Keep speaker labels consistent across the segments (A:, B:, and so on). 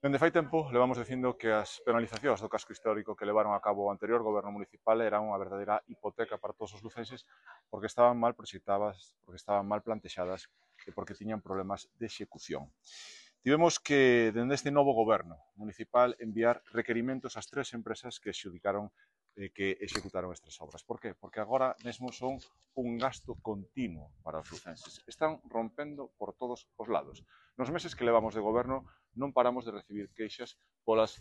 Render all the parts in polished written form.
A: Dende fai tempo levamos dicindo que as penalizacións do casco histórico que levaron a cabo o anterior goberno municipal eran unha verdadeira hipoteca para todos os lucenses porque estaban mal proxectadas, porque estaban mal plantexadas e porque tiñan problemas de execución. Tivemos que, dende este novo goberno municipal, enviar requerimentos ás tres empresas que executaron estas obras. Por qué? Porque agora mesmo son un gasto continuo para os lucenses. Están rompendo por todos os lados. Nos meses que levamos de goberno non paramos de recibir queixas polas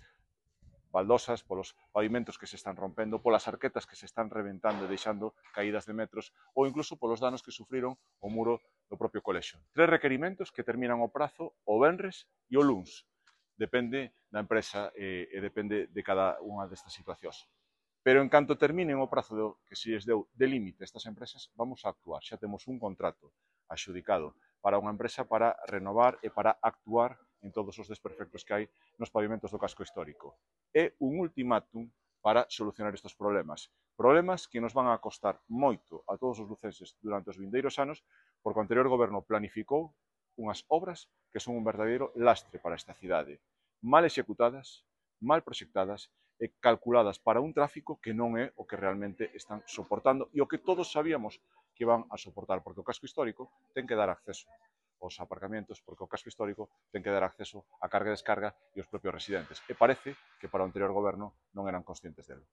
A: baldosas, polos pavimentos que se están rompendo, polas arquetas que se están reventando e deixando caídas de metros ou incluso polos danos que sufriron o muro do propio colexio. Tres requerimentos que terminan o prazo o venres e o luns. Depende da empresa e depende de cada unha destas situacións. Pero en canto terminen o prazo que se lles deu de límite a estas empresas, vamos a actuar. Xa temos un contrato axudicado para unha empresa para renovar e para actuar en todos os desperfectos que hai nos pavimentos do casco histórico. É un ultimátum para solucionar estes problemas. Problemas que nos van a costar moito a todos os lucenses durante os vindeiros anos, porque o anterior goberno planificou unhas obras que son un verdadeiro lastre para esta cidade. Mal executadas, mal proxectadas e calculadas para un tráfico que non é o que realmente están soportando e o que todos sabíamos que van a soportar, porque o casco histórico ten que dar acceso aos aparcamentos, porque o casco histórico ten que dar acceso á carga e descarga e aos propios residentes. E parece que para o anterior goberno non eran conscientes delo.